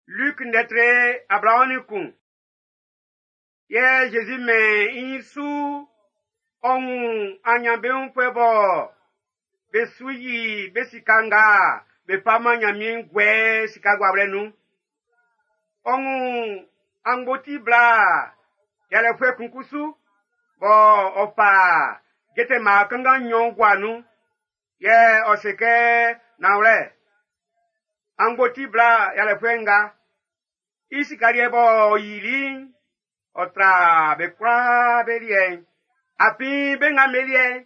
Luc ndɛ tre 21. Yɛ Zezi mɛn i su ɔ wun anyanbeunfuɛ bɔ be su yi be sika nga be fa man Nyanmiɛn'n guɛ sika guawlɛ nun. Ɔ wun angboti bla yalɛfuɛ kun kusu bɔ ɔ fa jɛtɛ mma kanngan nnyɔn gua nun. Yɛ ɔ se kɛ, nanwlɛ, angboti bla yalɛfuɛ nga, i sika liɛ b'ɔ yili'n, ɔ tra be kwlaa be liɛ'n. Afin be nga be liɛ'n,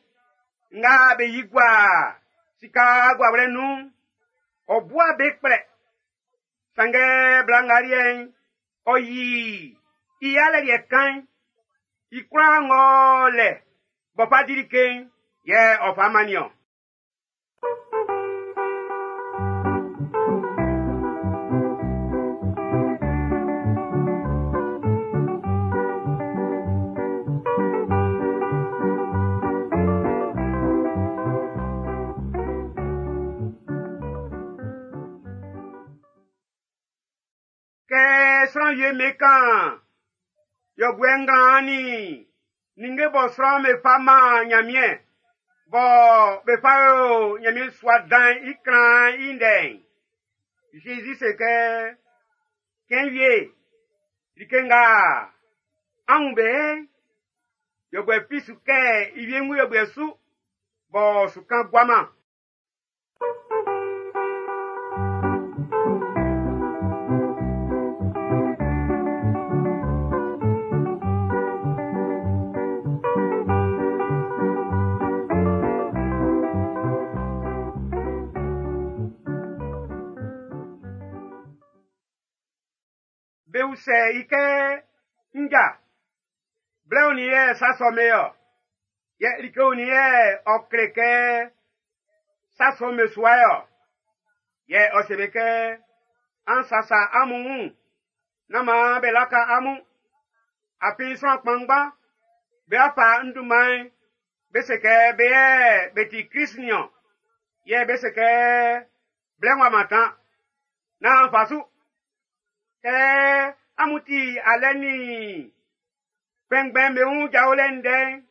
nga be yi gua sika guawlɛ nun'n, ɔ bua be kplɛ. Sanngɛ bla nga liɛ'n, ɔ yi i alɛ liɛ kan'n, i kwlaa ng'ɔ lɛ b'ɔ fa di like'n, yɛ ɔ fa mannin ɔ. Kɛ sran wie me kan yɔbuɛ nglan ni ninnge bɔ sran me fa man Nyanmiɛn, bɔ be fa yo Nyanmiɛn sua dan'n i klan'n i ndɛ'n, Jésus se kɛ, cɛn wie, like nga an wun be, yɔbuɛ fi su kɛ i wiengu yɔbuɛ su, bɔ su kan guaman. Be usɛ i kɛ, nja, blɛ onin yɛ sa sɔ me ɔ? Yɛ like onin yɛ ɔ kle kɛ sa sɔ me sua ɔ? Yɛ ɔ se be kɛ, an sasa amun wun, nán maan be laka amun. Afin sran kpanngban be afa n dunman'n, be se kɛ be yɛ be ti Krist niɔn. Yɛ be se kɛ blɛ ng'ɔ mantan, nán fa su. Kɛ amun ti alɛ ni kpɛnngbɛn be wun jawlɛ ndɛ'n,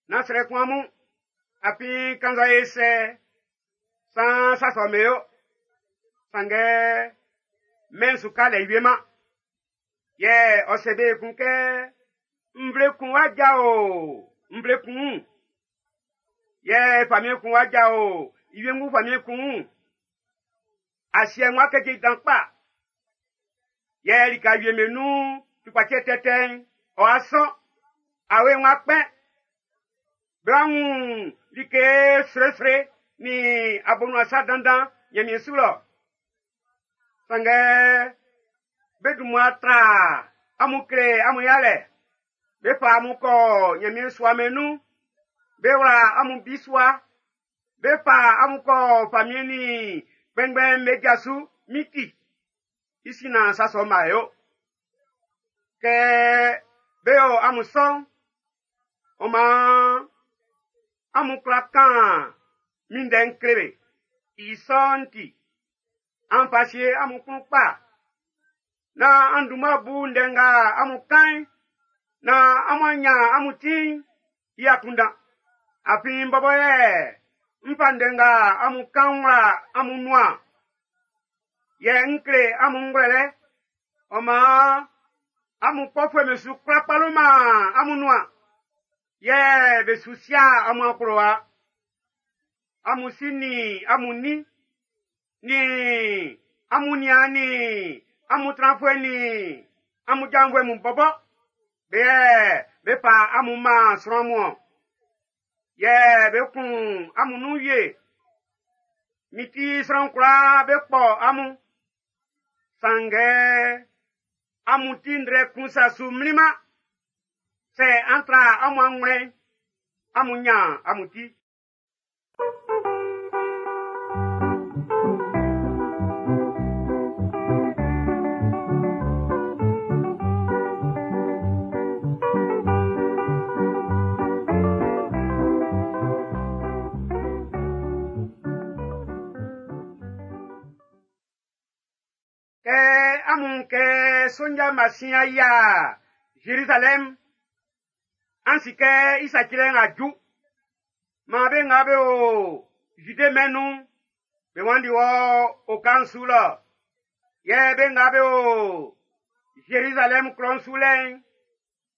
nán srɛ kun amun. Afin kannzɛ e sɛ, san sa sɔ me yo. Sanngɛ mɛn'n su ka lɛ wie ma. Yɛ ɔ se be kun kɛ, nvle kun wa jao nvle kun wun. Yɛ famiɛn kun wa jao i wiengu famiɛn kun wun. Asiɛ ng'ɔ keje dan kpa. Yɛ lika wie me nun tukpacɛ tɛtɛ'n, ɔ'a sɔn, awe ng'ɔ kpɛn. Be wa wun like sresre ni abonuasa dandan Nyanmiɛn su lɔ. Sanngɛ be dun mmua tra amun kle amun yalɛ. Be fa amun kɔ Nyanmiɛn sua mɛn nun. Be wla amun bisua. Be fa amun kɔ famiɛn ni kpɛnngbɛn'm be ja su miti. I sin na sa sɔ ma yo. Kɛ be yo amun sɔ'n, ɔ maan amun kwla kan min ndɛ'n kle be. I sɔ'n ti, an fa sie amun klun kpa. Na an dun mmua bu ndɛ nga amun kan'n, na amun anya amun ti'n i akunndan. Afin n bɔbɔ yɛ n fa ndɛ nga amun kan wla amun nuan. Yɛ n kle amun ngwlɛlɛ. Ɔ maan amun kpɔfuɛ'm be su kwla kpaloman amun nuan. Yɛ be su sia amun akplowa. Amun si ni amun ni, ni amun niaan ni amun tranfuɛ ni amun janvuɛ mun bɔbɔ, be yɛ be fa amun man sran mun-ɔn. Yɛ be kun amun nun wie. Mi ti sran kwlaa be kpɔ amun. Sanngɛ amun ti ndrɛ kun sa su mlinman. Sɛ an tra amun anwlɛn'n, amun nyan amun ti. Kɛ amun kɛ sonja masin ya Jerusalem, an si kɛ i sacilɛ'n a ju. Maan be nga be o Zude mɛn'n nun'n, be wanndi wɔ oka'n su lɔ. Yɛ be nga be o Zerizalɛm klɔ'n su lɛ'n,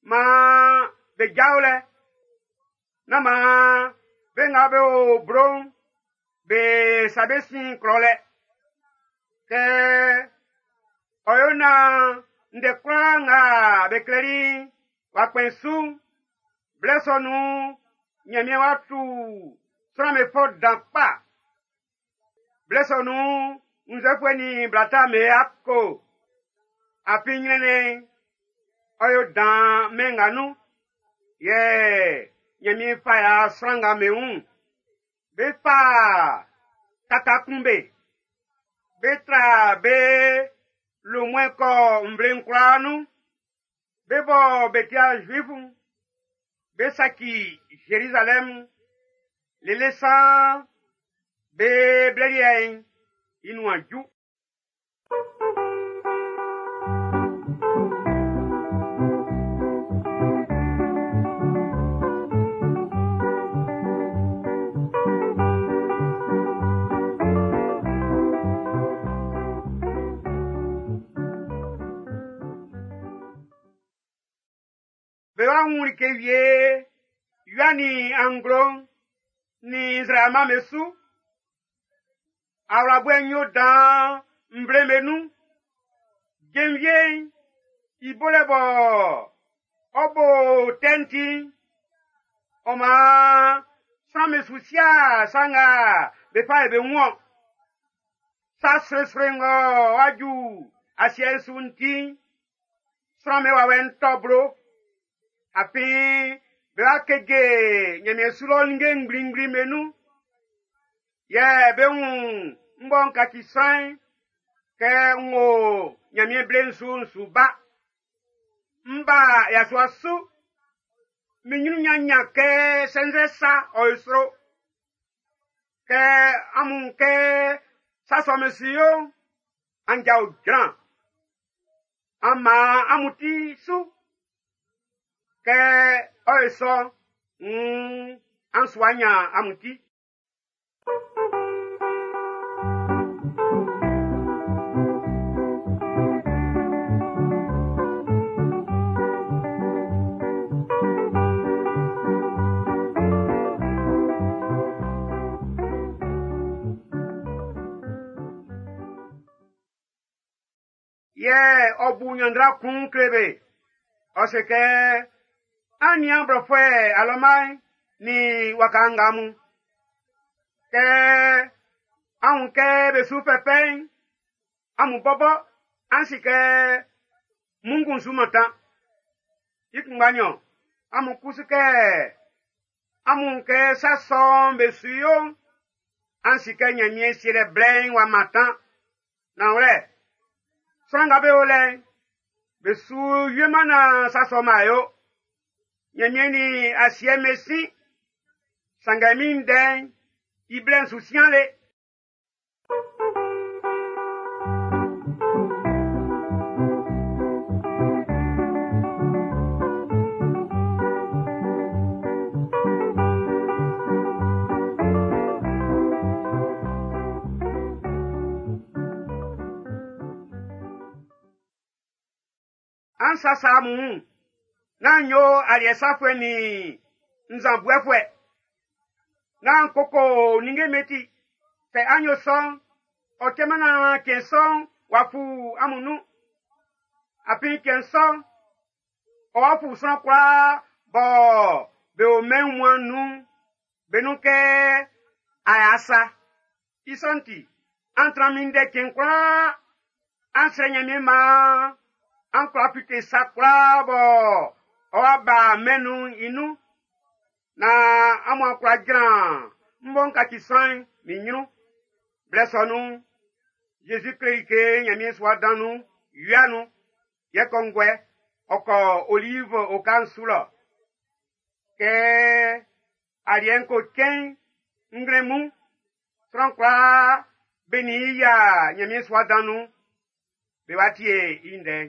maan be jao lɛ. Nán maan be nga be o blo'n, be sa be sin klɔ lɛ. Kɛ ɔ yo naan ndɛ kwlaa nga be klɛli'n w'a kpɛn su'n, blɛ sɔ nun'n, Ɲanmiɛn wá tú sran'm be fɔ dan kpa. Blɛ sɔ nun'n, wunnzɛfuɛ nin bla ta'm be ako. Afin ɲrɛnnɛn'n, ɔ yo dan mɛn nga nun. Yɛ Ɲanmiɛn fa ya sran nga be wun. Be fa tata kun be. Be tra be lomuɛn kɔ nvle'n kwlaa nun. Be bɔ be ti'a Zuifu'n, be saci Zerizalɛm lele saan be blɛ liɛ'n i nuan ju. Be wa wun like wie wia nin anglo'n nin nzraama'm be su. Awlaboɛ'n yó dan nvle'm be nun. Jenvie'n i bolɛ bɔ ɔ bo tɛ'n ti'n, ɔ maan sran'm be su si'a sa nga be fa be wun-ɔn. Sa sroesroe ng'ɔ wa ju asiɛ'n su'n ti'n, sran'm be wawɛ'n tɔ́ blo. Afin be wa keje Ɲanmiɛn su lɔ ninnge ngblingbli'm be nun. Yɛ be wun m bɔ n kaci sran'n kɛ n wo Ɲanmiɛn ble'n su'n su ba. M ba yasua su. Min ɲrun ɲanɲan kɛ sɛnzɛ sa ɔ yo sro. Kɛ amun kɛ sa sɔ'm be su yo'n, an jao jran. An man amun ti su. Kɛ ɔ yo sɔ'n, nn an su wa ɲan amun ti. Yɛ ɔ bu ɲanndra kun kle be. Ɔ se kɛ, an nian blɔfuɛ alɔma'n nin waka nga mun. Kɛ an wun kɛ be su fɛfɛ'n, amun bɔbɔ an si kɛ munngun su mantan. I kunngba nɲɔn, amun kusu kɛ amun kɛ sa sɔ'n be su yo'n, an si kɛ Ɲanmiɛn sielɛ blɛ'n w'a mantan. Nanwlɛ, sran nga be o lɛ'n, be su wieman naan sa sɔ'n b'a yo. Ɲanmiɛn nin asiɛ'n be sin, sanngɛ min ndɛ'n i blɛ'n su sian le. An sasa amun wun. Nán yo aliɛ safuɛ nin nzanbɔɛfuɛ. Nán koko ninnge be ti. Sɛ an yo sɔ'n, ɔ cɛman naan cɛn sɔ'n w'a fu amun nun. Afin cɛn sɔ'n, ɔ wa fu sran kwlaa bɔ be o mɛn wunmuan'n nun'n, be nun kɛ aya sa. I sɔ'n ti, an tran minndɛ cɛn kwlaa. An srɛ Ɲanmiɛn maan an kwla fite sa kwlaa bɔ ɔ wa ba mɛn'n nun'n i nun. Naan amun a kwla jran m bɔ n kaci sran'n min ɲrun. Blɛ sɔ nun'n, Zezi kle like Ɲanmiɛn sua dan nun wia nun. Yɛ kɔnguɛ, ɔ kɔ Olive oka'n su lɔ. Kɛ aliɛ'n ko cɛn'n, nglɛmun'n, sran kwlaa be nin i yia Ɲanmiɛn sua dan nun. Be wá tie i ndɛ'n.